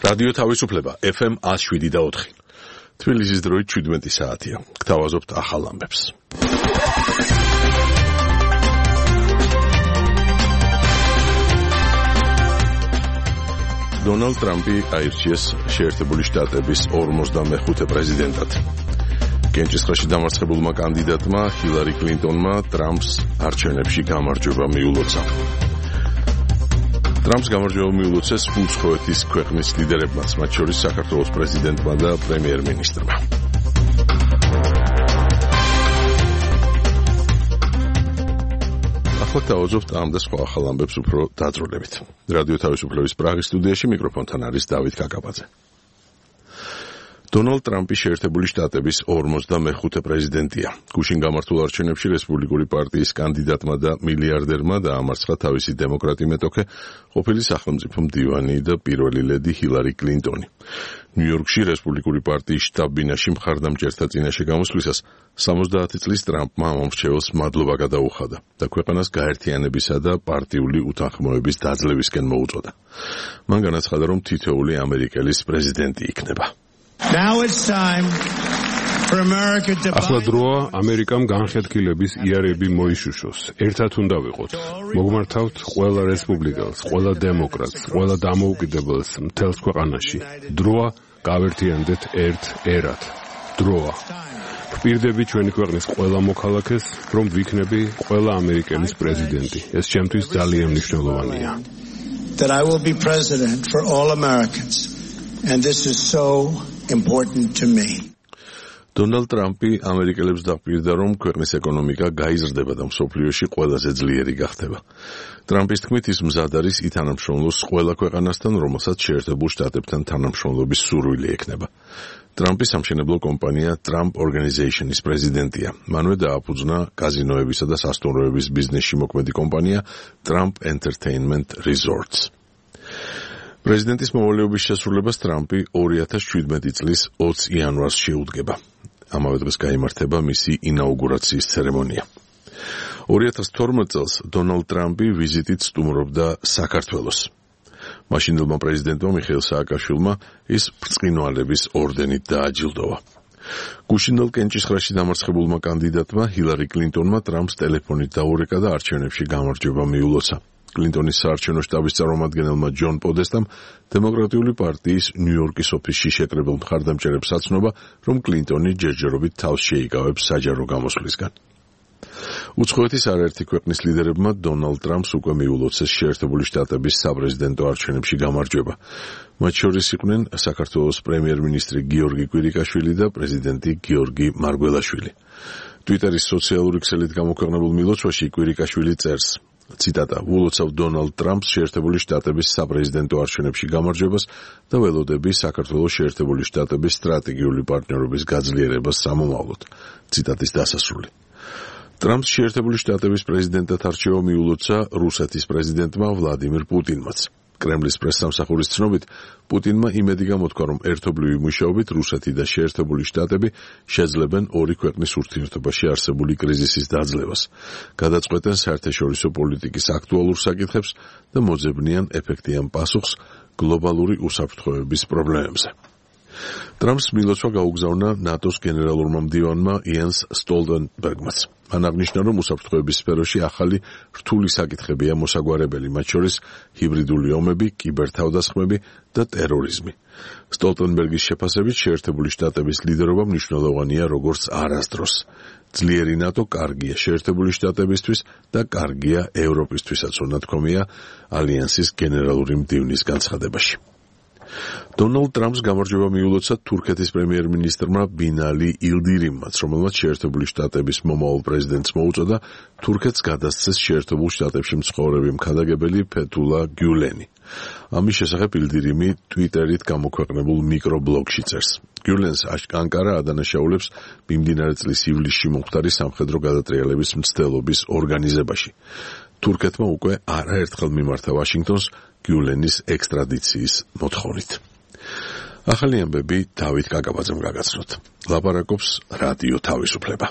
რადიო თავისუფლება FM 107.4. თბილისის დროით 17 საათია. გთავაზობთ ახალ ამბებს. დონალდ ტრამპი აირჩიეს შეერთებული შტატების 45 პრეზიდენტად. კენჭისყრაში დამარცხებულმა კანდიდატმა ჰილარი კლინტონმა ტრამპს არჩევნებში გამარჯვება მიულოცა. ტრამპს გამარჯვება მიულოცეს უცხოეთის ქვეყნის ლიდერებმაც, მათ შორის საქართველოს პრეზიდენტმა და პრემიერ-მინისტრმა. ახლა დავაძობთ ამ და სხვა ახალ ამბებს უფრო დაძრულებით. რადიო თავისუფლების პრაღის სტუდიაში მიკროფონთან არის დავით კაკაბაძე. დონალდ ტრამპი შეერთებული შტატების 45 პრეზიდენტია. გუშინ გამართულ არჩევნებში რესპუბლიკური პარტიის კანდიდატმა და მილიარდერმა დაამარცხა თავისი დემოკრატი მეტოქე, ყოფილი სახელმწიფო მდივანი და პირველი ლედი ჰილარი კლინტონი. ნიუ-იორკში რესპუბლიკური პარტიის შტაბ-ბინაში მხარდამჭერთა წინაშე გამოსვლისას 70 წლის ტრამპმა ამომრჩეველს მადლობა გადაუხადა და ქვეყანას გაერთიანებისა და პარტიული უთანხმოების დაძლევისკენ მოუწოდა. მან განაცხადა, რომ თითოეული ამერიკელის პრეზიდენტი იქნება. ახლა დროა ამერიკამ განხეთქილების იარები მოიშუშოს. ერთად უნდა ვიყოთ. მოგმართავთ ყველა რესპუბლიკელს, ყველა დემოკრატს, ყველა დამოუკიდებელს მთელს ქვეყანაში. დროა გავერთიანდეთ ერთ ერად. დროა. ვპირდები ჩვენი ქვეყნის ყველა მოქალაქეს, რომ ვიქნები ყველა ამერიკელის პრეზიდენტი. ეს ჩემთვის ძალიან მნიშვნელოვანია. That I will be president for all Americans. And this is so important to me. დონალდ ტრამპი ამერიკელებს დაპირდა, რომ ქვეყნის ეკონომიკა გაიზრდება და მსოფლიოში ყველაზე ძლიერი გახდება. ტრამპის თქმით, ის მზად არის ითანამშრომლოს ყველა ქვეყანასთან, რომელსაც შეერთებულ შტატებთან თანამშრომლობის სურვილი ექნება. ტრამპის სამშენებლო კომპანია Trump Organization-ის პრეზიდენტია. მანვე დააფუძნა კაზინოებისა და სასტუმროების ბიზნესში მოქმედი კომპანია Trump Entertainment Resorts. პრეზიდენტის მოვალეობის შესრულებას ტრამპი 2017 წლის 20 იანვარს შეუდგება. ამავე დღეს გაიმართება მისი ინაუგურაციის ცერემონია. 2012 წელს დონალდ ტრამპი ვიზიტით სტუმრობდა საქართველოს. მაშინდელმა პრეზიდენტმა მიხეილ სააკაშვილმა ის ბრწყინვალების ორდენით დააჯილდოვა. გუშინდელ კენჭისყრაში დამარცხებულმა კანდიდატმა ჰილარი კლინტონმა ტრამპს ტელეფონით დაურეკა და არჩევნებში გამარჯვება მიულოცა. კლინტონის საარჩევნო შტაბის წარმომადგენელმა ჯონ პოდესტამ დემოკრატიული პარტიის ნიუ-იორკის ოფისში შეკრებილ მხარდამჭერებს აცნობა, რომ კლინტონი ჯერჯერობით თავს შეიკავებს საჯარო გამოსვლისგან. უცხოეთის არაერთი ქვეყნის ლიდერებმა დონალდ ტრამპს უკვე მიულოცეს შეერთებული შტატების საპრეზიდენტო არჩევნებში გამარჯვება. მათ შორის იყვნენ საქართველოს პრემიერ-მინისტრი გიორგი კვირიკაშვილი და პრეზიდენტი გიორგი მარგველაშვილი. ტვიტერის სოციალური ქსელით გამოქვეყნებულ მილოცვაში კვირიკაშვილი წერს: ციტატა: "ვულოცავ დონალდ ტრამპს შეერთებული შტატების საპრეზიდენტო არჩევნებში გამარჯვებას და ველოდები საქართველოს შეერთებული შტატების სტრატეგიული პარტნიორობის გაძლიერებას სამომავლოდ." ციტატის დასასრული. ტრამპს შეერთებული შტატების პრეზიდენტად არჩევა მიულოცა რუსეთის პრეზიდენტმა ვლადიმირ პუტინმაც. კრემლის პრესსამსახურის ცნობით, პუტინმა იმედი გამოთქვა, რომ ერთობლივი მუშაობით რუსეთი და შეერთებული შტატები შეძლებენ ორი ქვეყნის ურთიერთობაში არსებული კრიზისის დაძლევას, გადაწყვეტენ საერთაშორისო პოლიტიკის აქტუალურ საკითხებს და მოძებნიან ეფექტიან პასუხს გლობალური უსაფრთხოების პრობლემებზე. ტრამპს მილოცვა გაუგზავნა ნატოს გენერალურმა მდივანმა იენს სტოლტენბერგმაც. მან აღნიშნა, რომ უსაფრთხოების სფეროში ახალი რთული საკითხებია მოსაგვარებელი, მათ შორის ჰიბრიდული ომები, კიბერთავდასხმები და ტერორიზმი. სტოლტენბერგის შეფასებით, შეერთებული შტატების ლიდერობა მნიშვნელოვანია როგორც არასდროს. ძლიერი ნატო კარგია შეერთებული შტატებისთვის და კარგია ევროპისთვისაც, უნათქვამია ალიანსის გენერალური მდივნის განცხადებაში. დონალდ ტრამპს გამარჯვება მიულოცა თურქეთის პრემიერ-მინისტრმა ბინალი ილდირიმმაც, რომელმაც შეერთებული შტატების მომავალ პრეზიდენტს მოუწოდა თურქეთს გადასცეს შეერთებულ შტატებში მცხოვრები მხარდამჭერი ფეთულა გიულენი. ამის შესახებ ილდირიმი ტვიტერით გამოქვეყნებულ მიკრობლოგში წერს. გიულენს ანკარა ადანაშაულებს მიმდინარე წლის ივლისში მომხდარი სამხედრო გადატრიალების მცდელობის ორგანიზებაში. თურქეთმა უკვე არაერთხელ მიმართა ვაშინგტონს გიულენის ექსტრადიციის მოთხოვნით. ახალი ამბები დავით კაკაბაძემ გაგაცნოთ. ლაპარაკობს რადიო თავისუფლება.